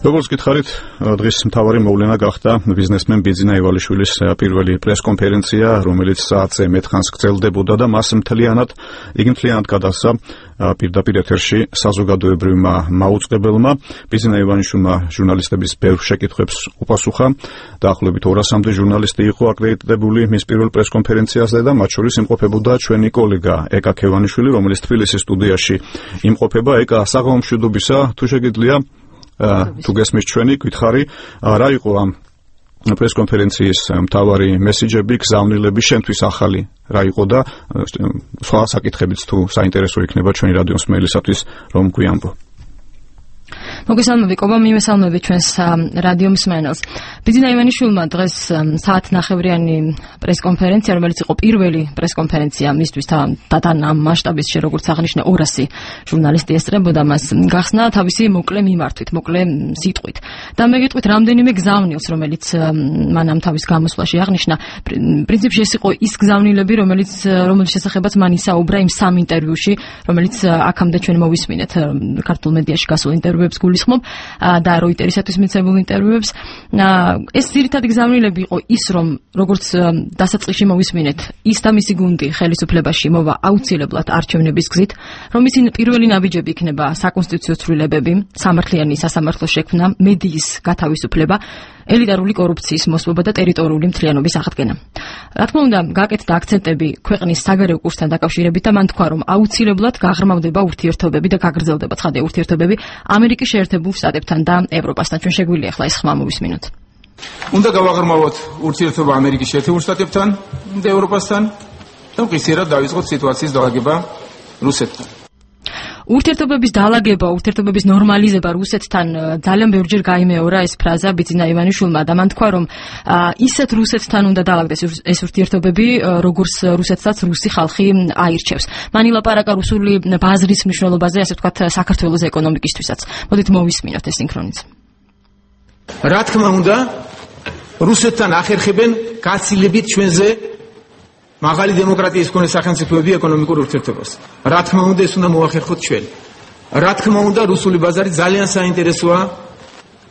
როგორც გითხარით, დღის მთავარი მოვლენა გახდა ბიზნესმენ ბიძინა ივალიშვილის პირველი პრესკონფერენცია, რომელიც საათზე მეტხანს გრძელდებოდა და მას მთლიანად გადასცა პირდაპირ ეთერში საზოგადოებრივმა მაუწყებელმა. ბიძინა ივალიშვილმა ჟურნალისტების ბევრ შეკითხვებს უპასუხა. დაახლოებით 200-მდე ჟურნალისტი იყო აკრედიტებული მის პირველ პრესკონფერენციაზე და მათ შორის იმყოფებოდა ჩვენი კოლეგა ეკა ქევანიშვილი, რომელიც თბილისის სტუდიაში იმყოფება. ეკა, საღამო მშვიდობისა, თუ შეგიძლია თუ გესმის ჩვენი გითხარი რა იყო ამ პრესკონფერენციის მთავარი მესიჯები, გზავნილები შენთვის ახალი რა იყო და სხვა საკითხებიც თუ საინტერესო იქნება ჩვენი რადიოს მსმენელისათვის რომ გვიამბო. მოგესალმები, კობა, მივესალმები ჩვენს რადიო მსმენელს. ბიძინა ივალიშვილმა დღეს საათნახევრიანი პრესკონფერენცია, რომელიც იყო პირველი პრესკონფერენცია მისთვის თან ამ მასშტაბის, როგორც აღნიშნა 200 ჟურნალისტი ესწრებოდა მას, გახსნა თავისი მოკლე მიმართვით, მოკლე სიტყვით. და მე გეტყვით რამდენიმე გზავნილს, რომელიც მან ამ თავის გამოსვლაში აღნიშნა. პრინციპში ეს იყო ის გზავნილები, რომელიც შესახებაც მან ისაუბრა იმ სამ ინტერვიუში, რომელიც აქამდე ჩვენ მოვისმინეთ ქართულ მედიაში გასულ ინტერვიუებს გულისხმობ და როიტერისათვის მიცემულ ინტერვიუებს. ეს ძირითადი გზავნილები იყო ის, რომ როგორც დასაწყისში მოვისმინეთ, ის და მისი გუნდი ხელისუფლებაში მოვა აუცილებლად არჩევნების გზით, რომ მისი პირველი ნაბიჯები იქნება საკონსტიტუციო ცვლილებები, სამართლიანი სასამართლო შექმნა, მედიის გათავისუფლება, ელიტარული კორუფციის მოსპობა და ტერიტორიული მთლიანობის აღდგენა. რა თქმა უნდა, გაკეთდა აქცენტები ქვეყნის საგარეო კურსთან დაკავშირებით და მან თქვა, რომ აუცილებლად გაღრმავდება ურთიერთობები და გაგრძელდება ცხადია ურთიერთობები ამერიკის შეერთებულ შტატებთან და ევროპასთან. ჩვენ შეგვიძლია ახლა ეს ხმა მოვისმინოთ. უნდა გავაღრმავოთ ურთიერთობა ამერიკის შეერთებულ შტატებთან და ევროპასთან და მყისიერად დავიწყოთ სიტუაციის დალაგება რუსეთთან. ურთიერთობების დალაგება, ურთიერთობების ნორმალიზება რუსეთთან ძალიან ბევრჯერ გაიმეორა ეს ფრაზა ბიძინა ივალიშვილმა და მან თქვა, რომ ისეთ რუსეთთან უნდა დალაგდეს ეს ურთიერთობები, როგორც რუსეთსაც რუსი ხალხი აირჩევს. მან ილაპარაკა რუსული ბაზრის მნიშვნელობაზე, ასე ვთქვათ, საქართველოს ეკონომიკისთვისაც. მოდით მოვისმინოთ ეს სინქრონიც. რა თქმა უნდა, რუსეთთან ახერხებენ გაცილებით ჩვენზე მაღალი დემოკრატიის მქონე სახელმწიფოები ეკონომიკურ ურთიერთობას. რა თქმა უნდა, ეს უნდა მოახერხოთ ჩვენ. რა თქმა უნდა, რუსული ბაზარი ძალიან საინტერესოა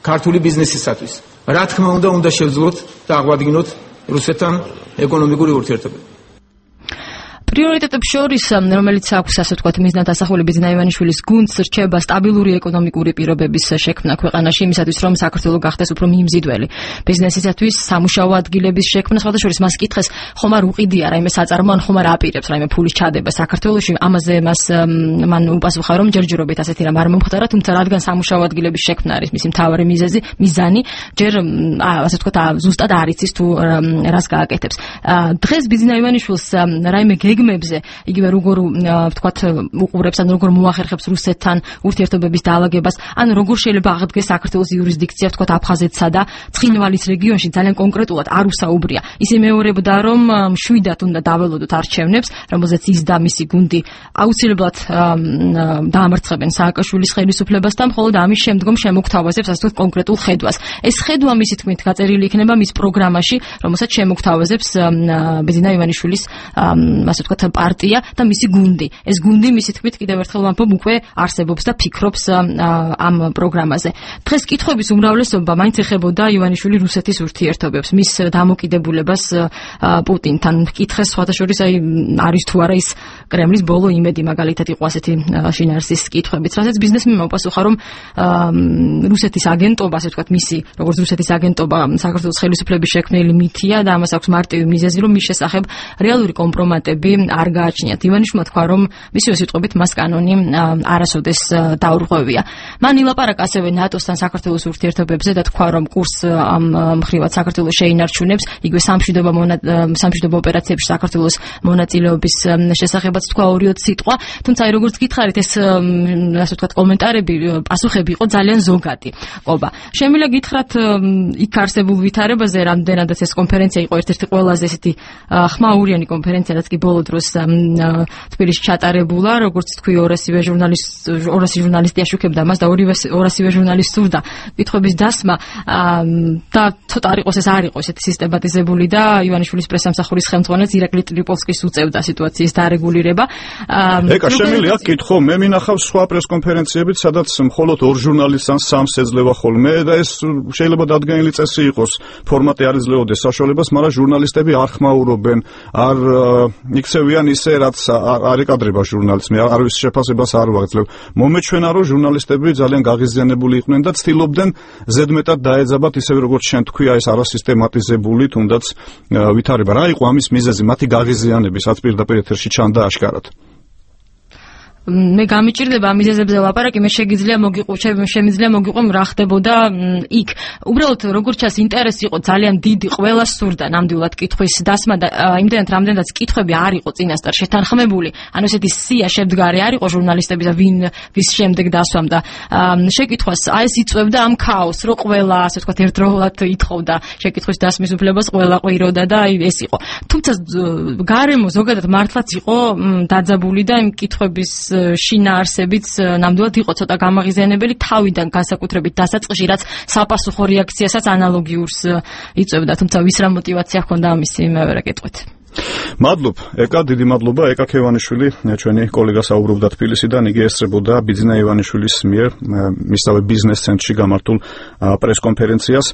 ქართული ბიზნესისათვის. რა თქმა უნდა შევძლოთ და აღვადგინოთ რუსეთთან ეკონომიკური ურთიერთობები. პრიორიტეტებს შორის, რომელიც აქვს, ასე ვთქვათ, მიზნად ასახული ბიძინა ივალიშვილის გუნდს, რჩება სტაბილური ეკონომიკური პირობების შექმნა ქვეყანაში, იმისათვის, რომ საქართველო გახდეს უფრო მიმზიდველი ბიზნესისათვის, სამუშაო ადგილების შექმნა, სხვადასხვა მას კითხეს, ხომ არ უყიდია რაიმე საწარმო, ან ხომ არ აპირებს რაიმე ფულის ჩადება საქართველოში. ამაზე მან უპასუხა, რომ ჯერჯერობით ასეთი რამ არ მომხდარა, თუმცა რადგან სამუშაო ადგილების შექმნა არის მისი მთავარი მიზანი, ჯერ ასე ვთქვათ, ზუსტად არ იცის თუ რას გააკეთებს. დღეს ბიძინა ივალიშვილს რაიმე გეგმებზე, იგივე როგორ ვთქვათ, უყურებს, ან როგორ მოახერხებს რუსეთთან ურთიერთობების დაალაგებას, ან როგორ შეიძლება აღდგეს საქართველოს იურისდიქცია, ვთქვათ, აფხაზეთსა და ცხინვალის რეგიონში ძალიან კონკრეტულად არ უსაუბრია. ის იმეორებდა, რომ მშვიდად უნდა დაველოდოთ არჩევნებს, რომელზეც ის და მისი გუნდი აუცილებლად დაამარცხებენ სააკაშვილის ხელისუფლებასთან, მხოლოდ ამის შემდგომ შემოგთავაზებს, ასე ვთქვათ, კონკრეტულ ხედვას. ეს ხედვა მისი თქმით გაწერილი იქნება მის პროგრამაში, რომელსაც შემოგთავაზებს ბიძინა ივალიშვილის ასე ვთქვათ, პარტია და მისი გუნდი. ეს გუნდი, მისი თქმით, კიდევ ერთხელ ვამბობ, უკვე არსებობს და ფიქრობს ამ პროგრამაზე. დღეს კითხვების უმრავლესობა მაინც ეხებოდა ივალიშვილი რუსეთის ურთიერთობებს, მის დამოკიდებულებას პუტინთან. კითხეს სხვადასხვა არის თუ არა ის კრემლის ბოლო იმედი, მაგალითად იყო ასეთი შინაარსის კითხვებიც, რასაც ბიზნესმენმა უპასუხა, რომ რუსეთის აგენტობა, ასე ვთქვათ, მისი როგორც რუსეთის აგენტობა საქართველოს ხელისუფლების შექმნელი მითია და ამას აქვს მარტივი მიზეზი, რომ მის შესახებ რეალური კომპრომატები არ გააჩნიათ. ივალიშვილმა თქვა, რომ მისივე სიტყვებით მას კანონი არასოდეს დაურღვევია. მან ილაპარაკა ასევე ნატოსთან საქართველოს ურთიერთობებზე და თქვა, რომ კურსს ამ მხრივად საქართველოს შეინარჩუნებს, იგივე სამშვიდობო ოპერაციებში საქართველოს მონაწილეობის შესახებაც თქვა 2-3 სიტყვა. თუმცა როგორც გითხარით, ეს ასე ვთქვათ, კომენტარები, პასუხები იყო ძალიან ზოგადი. ყობა. შემიძლია გითხრათ იქ არსებულ ვითარებაზე, რამდენადაც ეს კონფერენცია იყო ერთ-ერთი ყველაზე ესეთი ხმაურიანი კონფერენცია, რაც კი ბოლო დროს თბილისში ჩატარებულა, როგორც თქვი, 200 ჟურნალისტი აშუქებდა მას და 200 ჟურნალისტს სურდა კითხვების დასმა და ცოტა არ იყოს ეს არ იყო ესეთი სისტემატიზებული და ივანიშვილის პრესამსახურის ხელმძღვანელს ირაკლი ტრიპოლსკის უწევდა სიტუაციის დარეგულირება. ეკა შემიძლია გითხო, მე მინახავს სხვა პრესკონფერენციებით, სადაც მხოლოდ 2 ჟურნალისტს ან 3-ს ეძლევა ხოლმე და ეს შეიძლება დადგენილი წესი იყოს, ფორმატი არ იძლეოდეს საშუალებას, მაგრამ ჟურნალისტები არ ხმაურობენ, არ იქცევიან ისე, რაც არ ეკადრება ჟურნალისტს. მე არავის შეფასებას არ ვაძლევ. მომეჩვენა, რომ ჟურნალისტები ძალიან გაღიზიანებული იყვნენ და ცდილობდნენ ზედმეტად დაეძაბათ, ისევე როგორც შენ თქვია, ეს არასისტემატიზებული, თუნდაც ვითარება. რა იყო ამის მიზეზი, მათი გაღიზიანების, რაც პირდაპირ ეთერში ჩანდა აშკარად? მე გამიჭირდება ამ მიზეზებზე ლაპარაკი, მე შემიძლია მოგიყვեմ რა ხდებოდა იქ. უბრალოდ როგორც ჩანს ინტერესი იყო ძალიან დიდი, ყველას სურდა ნამდვილად კითხვის დასმა და იმდენად რამდენადაც კითხვები არ იყო წინასწარ შეთანხმებული, ანუ ესეთი სია შემდგარი არ იყო ჟურნალისტების და ვის შემდეგ დასვამდა შეკითხვას, აი ეს იწვევდა ამ ქაოსს, რომ ყველა ასე ვთქვათ ერთდროულად ითხოვდა შეკითხვის დასმის უფლებას, ყველა ყვიროდა და ეს იყო. თუმცა გარემო ზოგადად მართლაც იყო დაძაბული და იმ კითხვების შინაარსებიც ნამდვილად იყო ცოტა გამაღიზიანებელი თავიდან განსაკუთრებით დასაწყისში, რაც საპასუხო რეაქციასაც ანალოგიურს იწევდა, თუმცა ვის რა мотиваცია ჰქონდა ამისი მე ვერ აკეთვით. მადლობ, ეკა, დიდი მადლობა, ეკა ქევანიშვილი, ჩვენი კოლეგა საუბრობდა თბილისიდან, იგი ესწრებოდა ბიძინა ივანიშვილის მიერ მისსავე ბიზნეს ცენტრში გამართულ პრესკონფერენციას.